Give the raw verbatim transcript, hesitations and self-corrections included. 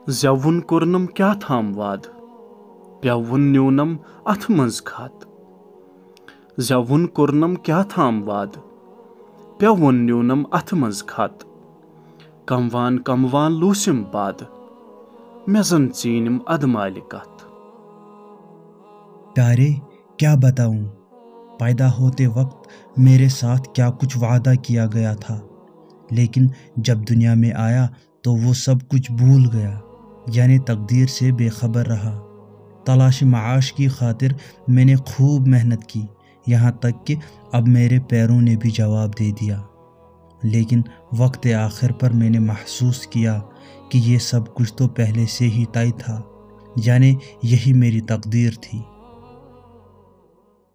زٮ۪وُن کوٚرنم کیٛاہ تھام وعدٕ، پٮ۪وُن نیونم اتھٕ منٛز خط۔ زٮ۪وُن کوٚرنم کیٛاہ تھام وعدٕ، پٮ۪وُن نیونم اتھٕ منٛز خط۔ کموان کموان لوٗسِم پادٕ، مےٚ زن ژیٖنِم ادٕ مالہِ کتھ۔ प्यारे, क्या बताऊं, पैदा होते वक्त मेरे साथ क्या कुछ वादा किया गया था, लेकिन जब दुनिया में आया तो वो सब कुछ भूल गया, यानी तकदीर से बेखबर रहा। तलाश माश की खातिर मैंने खूब मेहनत की, यहाँ तक कि अब मेरे पैरों ने भी जवाब दे दिया। लेकिन वक्त आखिर पर मैंने महसूस किया कि ये सब कुछ तो पहले से ही तय था, यानी यही मेरी तकदीर थी।